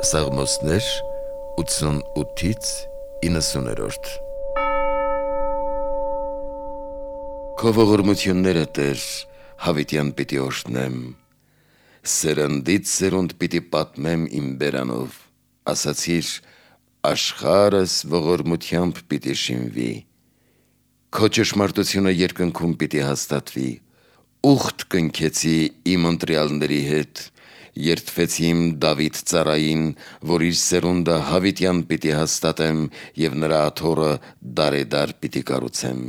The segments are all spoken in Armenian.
Սաղմոսներ 88-ից 90-րդ Քո ողորմությունները, Տեր, հավիտյան պիտի օրհնեմ, սերնդից սերունդ պիտի պատմեմ իմ բերանով, ասացիր, աշխարհս ողորմությամբ պիտի շինվի, քո ճշմարտությունը երկնքում պիտի հաստատվի, ուխտ կնքեցի իմ ընտրյալների հետ, երդվեցի իմ Դավիթ ծառային, որ իր սերունդը հավիտյան պիտի հաստատեմ և նրա աթոռը դարեդար պիտի կառուցեմ։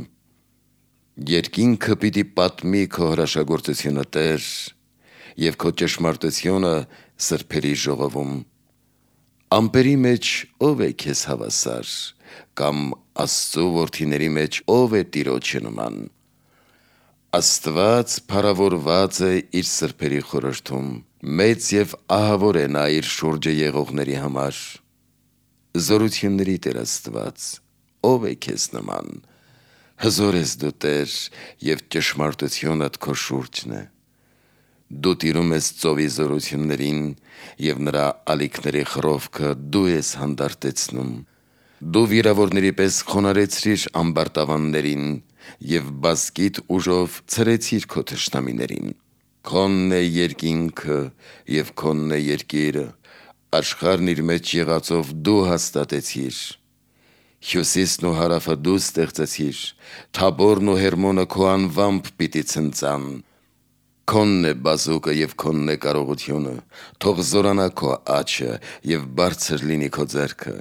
Երկինքը պիտի պատմի քո հրաշագործությունը, Տեր, և քո ճշմարտությունը սրբերի ժողովում։ Ամպերի մեջ ով է քեզ հավասար, կամ Աստծու որդիների մեջ ով է Տիրոջը նման։ Աստված փառավորված է իր սրբերի խորհրդում, մեծ և ահավոր է նա իր շուրջը եղողների համար։ Զորությունների Տեր Աստված, ով է քեզ նման։ Հզոր ես դու, Տեր, և ճշմարտությունդ քո շուրջն է։ Դու տիրում ես ծովի զորություններին, և նրա ալիքների խռովքը դու ես հանդարտեցնում։ Դու վիրավորների պես խոնարհեցրիր ամբարտավաններին և բազկիդ ուժով ցրեցիր քո թշնամիներին։ Քոնն է երկինքը և քոնն է երկիրը, աշխարհն իր մեջ եղածով դու հաստատեցիր։ Հյուսիսն ու հարավը դու ստեղծեցիր, Թաբորն ու Հերմոնը քո անվամբ պիտի ցնծան։ Քոնն է բազուկը և քոնն է կարողությունը, թող զորանա քո աջը և բարձր լինի քո ձեռքը։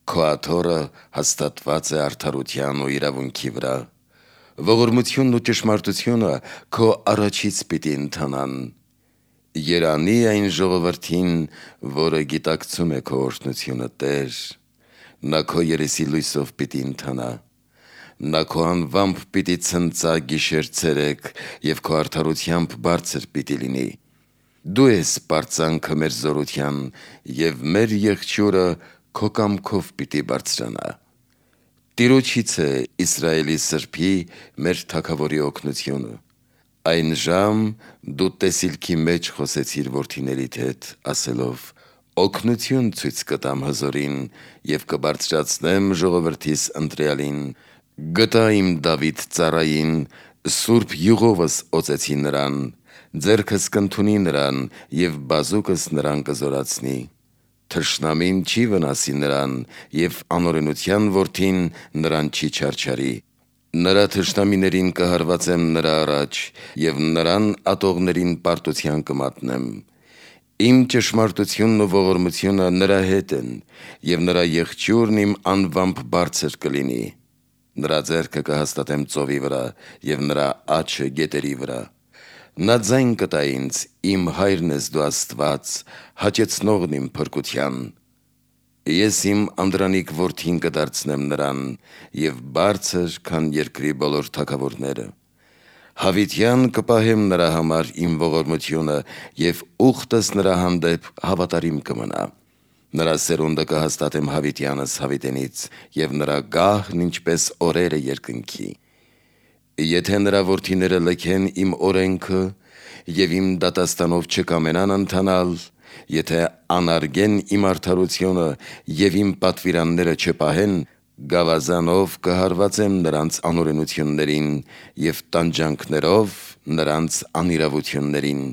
Քո աթոռը հաստատված է արդարության ու իրավունքի վրա։ Ողորմությունն ու ճշմարտությունը քո առաջից պիտի ընթանան։ Երանի այն ժողովրդին, որը գիտակցում է քո օրհնությունը, Տեր, նա քո երեսի լույսով պիտի ընթանա։ Նա քո անվամբ պիտի ցնծա գիշեր-ցերեկ և քո արդարությամբ բարձր պիտի լինի։ Դու ես պարծանքը մեր զորության, և մեր եղջյուրը քո կամքով պիտի բարձրանա։ Տիրոջից է Իսրայելի սրբի, մեր թագավորի օգնությունը։ Այն ժամ դու տեսիլքի մեջ խոսեցիր որդիներիդ հետ, ասելով. «Օգնություն ցույց կտամ հզորին և կբարձրացնեմ ժողովրդիս ընտրյալին։ Գտա իմ Դավիթ ծառային, սուրբ յուղովս օծեցի նրան, ձեռքս կընդունի նրան և բազուկս նրան կզորացնի։ Թշնամին չի վնասի նրան, և անօրենության որդին նրան չի չարչարի։ Նրա թշնամիներին կհարվածեմ նրա առաջ, և նրան ատողներին պարտության կմատնեմ։ Իմ ճշմարտությունն ու ողորմությունը նրա հետ են, և նրա եղջյուրն իմ անվամբ բարձր կլինի։ Նրա ձեռքը կհաստատեմ ծովի վրա, և նրա աջը գետերի վրա։ Նա ձայն կտա ինձ, իմ հայրն ես դու Աստված, հաճեցնողն իմ փրկության։ Ես իմ անդրանիկ որդին կդարձնեմ նրան, և բարձր, քան երկրի բոլոր թագավորները։ Հավիտյան կպահեմ նրա համար իմ ողորմությունը, և ուխտս նրա հանդեպ հավատարիմ կմնա։ Նրա սերունդը կհաստատեմ հավիտյանս հավիտենից, և նրա գահն ինչպես օրերը երկնքի։ Եթե նրա որդիները լքեն իմ օրենքը և իմ դատաստանով չկամենան ընթանալ, եթե անարգեն իմ արդարությունը և իմ պատվիրանները չպահեն, գավազանով կհարվածեմ նրանց անօրենություններին և տանջանքներով նրանց անիրավություններին։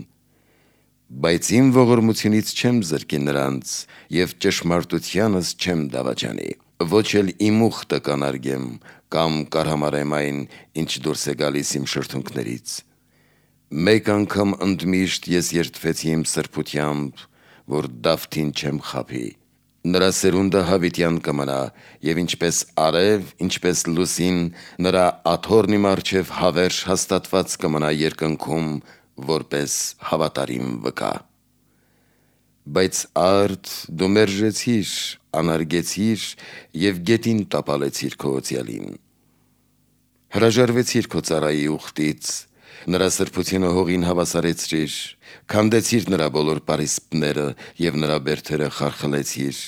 Բայց իմ ողորմությունից չեմ զրկի նրանց, և ճշմարտությանս չեմ դավաճանի։ Ոչ էլ իմ ուխտը կանարգեմ, կամ կարհամարեմ այն, ինչ դուրս է գալիս իմ շրթունքներից։ Մեկ անգամ ընդմիշտ ես երդվեցի իմ սրբությամբ, որ Դավթին չեմ խաբի։ Նրա սերունդը հավիտյան կմնա, և ինչպես արև, ինչպես լուսին, նրա աթոռն իմ առջև հավերժ հաստատված կմնա երկնքում, որպես հավատարիմ վկա։ Բայց արդ դու մերժեցիր, անարգեցիր և գետին տապալեցիր քո օծյալին։ Հրաժարվեցիր քո ծառայի ուխտից, նրա սրբությունը հողին հավասարեցրիր, քանդեցիր նրա բոլոր պարիսպները և նրա բերդերը խարխլեցիր։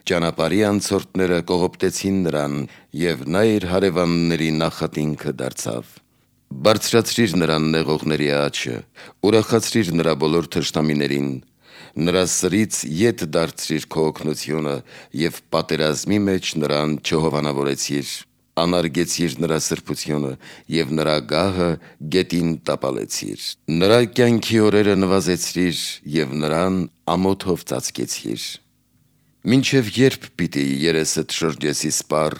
Ճանապարհի անցորդները կողոպտեցին նրան, և նա իր հարևանների նախատինքը դարձավ։ Բարձրացրիր նրան նեղողների աջը, ուրախացրիր նրա բոլոր թշնամիներին, Նրա սրից ետ դարձրիր քո օգնությունը եւ պատերազմի մեջ նրան չհովանավորեցիր, անարգեցիր նրա սրբությունը եւ նրա գահը գետին տապալեցիր։ Նրա կյանքի օրերը նվազեցրիր եւ նրան ամոթով ծածկեցիր։ Մինչև երբ պիտի երեսդ շրջեսի սպառ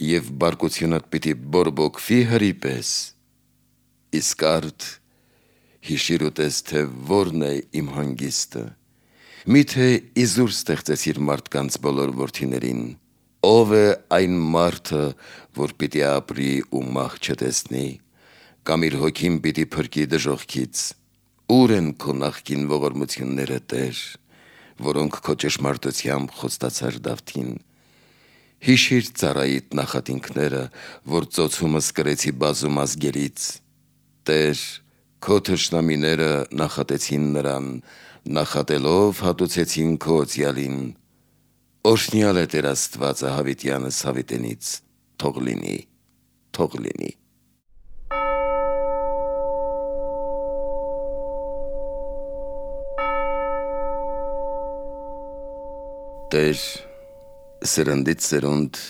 եւ բարկությունդ պիտի բորբոքվի հրի պես։ Իսկ արդ հիշիր ուտես, թե որն է իմ հանգիստը։ Միթե իզուր ստեղծեցիր մարդկանց բոլոր որդիներին։ Ով է այն մարդը, որ պիտի ապրի ու մահ չտեսնի, կամ իր հոգին պիտի փրկի դժոխքից։ Ուր են քո նախկին ողորմությունները, Տեր, որոնք քո ճշմարտությամբ խոստացար Դավթին։ Հիշիր ծառայիդ նախատինքները, որ ծոցումս կրեցի բազում ազգերից։ Տեր, քո թշնամիները նախատեցին նրան, նախատելով հատուցեցին քո օծյալին։ Օրհնյալ է Տեր Աստվածը հավիտյանս հավիտենից, թող լինի, թող լինի։ Տեր, սերնդից սերունդ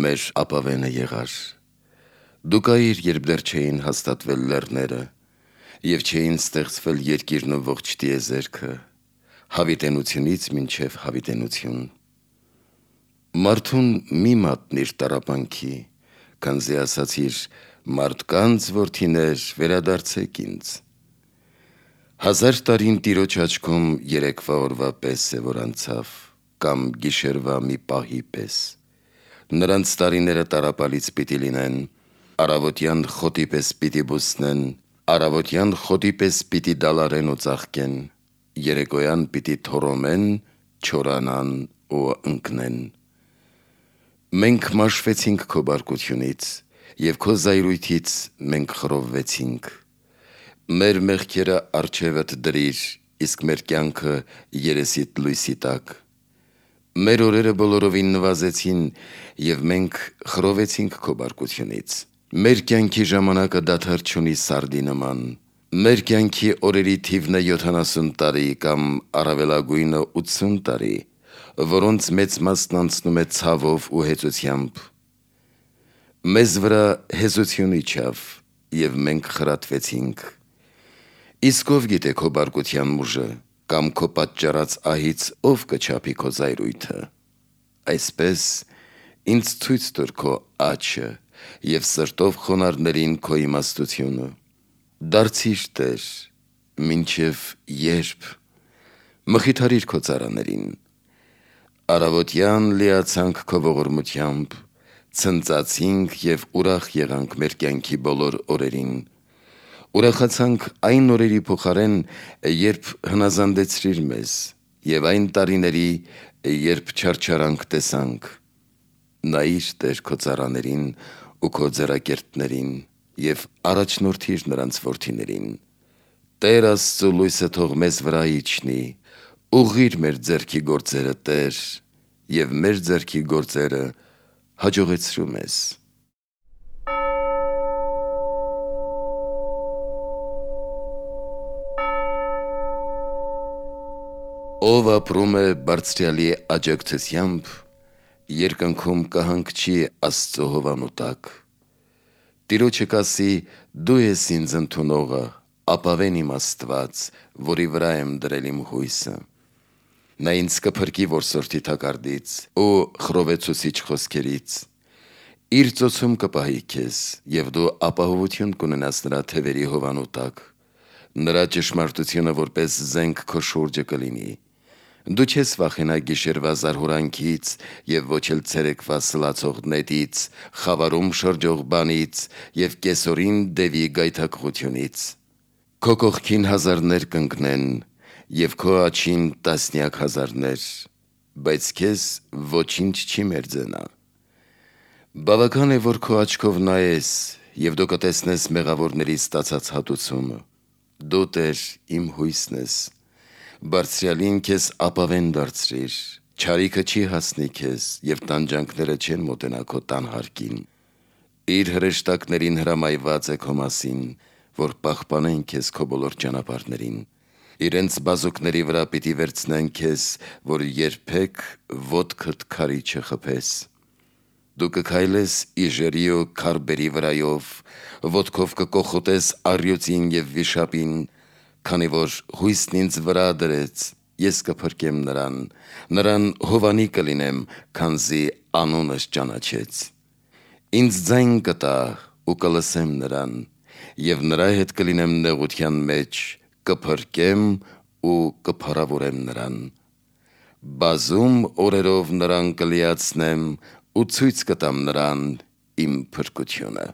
մեր ապավենը եղար։ Դու կայիր, երբ դեռ չէին հաստատվել լեռները, և չէին ստեղծվել երկիրն ու ողջ տիեզերքը, հավիտենությունից մինչև հավիտենություն։ Մարդուն մի մատնիր տառապանքի, քանզի ասացիր, մարդկանց որդիներ վերադարձեք ինձ։ 1000 տարին Տիրոջ աչքում երեկվա օրվա պես է, որ անցավ, կամ գիշերվա մի պահի պես։ Նրանց տարիները տառապալից պիտի լինեն, առավոտյան խոտի պես պիտի բուսնեն, առավոտյան խոտի պես պիտի դալարեն ու ծաղկեն, երեկոյան պիտի թորոմեն, չորանան ու ընկնեն։ Մենք մաշվեցինք քո բարկությունից, և քո զայրույթից մենք խռովվեցինք։ Մեր մեղքերը առջևդ դրիր, իսկ մեր կյանքը երեսիդ լույսի տակ։ Մեր օրերը բոլորովին նվազեցին, և մենք խռովեցինք քո բարկությունից։ Մեր կյանքի ժամանակը դադար չունի սարդի նման։ Մեր կյանքի օրերի թիվն է 70 տարի կամ առավելագույնը 80 տարի, որոնց մեծ մասն անցնում է ցավով ու հեծությամբ։ Մեզ վրա հեզություն իջավ, և մենք խրատվեցինք։ Իսկ ով գիտե քո բարկության ուժը, կամ քո պատճառած ահից ով կչափի քո զայրույթը։ Այսպես ինձ ցույց տուր քո աջը և սրտով խոնարհներին քո իմաստությունը։ Դարձիր Տեր, մինչև երբ։ Մխիթարիր քո ծառաներին։ Առավոտյան լիացանք քո ողորմությամբ, ցնծացինք և ուրախ եղանք մեր կյանքի բոլոր օրերին։ Ուրախացանք այն օրերի փոխարեն, երբ հնազանդեցրիր մեզ, և այն տարիների, երբ չարչարանք տեսանք։ Նայիր Տեր քո ծառաներին ու քո ձեռակերտներին և առաջնորդիր նրանց որդիներին։ Տեր Աստծու լույսը թող մեզ վրա իջնի, ուղղիր մեր ձեռքի գործերը, Տեր, և մեր ձեռքի գործերը հաջողեցրու մեզ։ Ով ապրում է Բարձրյալի աջակցությամբ, երկնքում կհանգչի Աստծո հովանու տակ։ Տիրոջը կասի. «Դու ես ինձ ընդունողը, ապավեն իմ Աստված, որի վրա եմ դրել իմ հույսը»։ Նա ինձ կփրկի որսորդի թակարդից ու խռովեցուցիչ խոսքերից։ Իր ծոցում կպահի քեզ, և դու ապահովություն կունենաս նրա թևերի հովանու տակ։ Նրա ճշմարտությունը որպես զենք քո շուրջը կլինի։ Դու չես վախենա գիշերվա զարհուրանքից և ոչ էլ ցերեկվա սլացող նետից, խավարում շրջող բանից և կեսօրին դևի գայթակղությունից։ Քո կողքին հազարներ կընկնեն և քո աջին տասնյակ հազարներ, բայց քեզ ոչինչ չի մերձենա։ Բավական է, որ քո աչքով նայես, և դու կտեսնես մեղավորների ստացած հատուցումը։ Դու Տեր իմ հույսն ես։ Բարձրյալին քեզ ապավեն դարձրիր, չարիքը չի հասնի քեզ, և տանջանքները չեն մոտենա քո տան հարկին։ Իր հրեշտակներին հրամայված է քո մասին, որ պահպանեն քեզ քո բոլոր ճանապարհներին։ Իրենց բազուկների վրա պիտի վերցնեն քեզ, որ երբեք ոտքդ քարի չխփես։ Դու կքայլես իժերի ու քարբերի վրայով, ոտքով կկոխոտես առյուծին և վիշապին, քանի որ հույսն ինձ վրա դրեց, ես կփրկեմ նրան հովանի կլինեմ, քանզի անունս ճանաչեց։ Ինձ ձայն կտա ու կլսեմ նրան, և նրա հետ կլինեմ նեղության մեջ, կփրկեմ ու կփառավորեմ նրան։ Բազում օրերով նրան կլիացնեմ ու ցույց կտամ նրան իմ փրկությունը։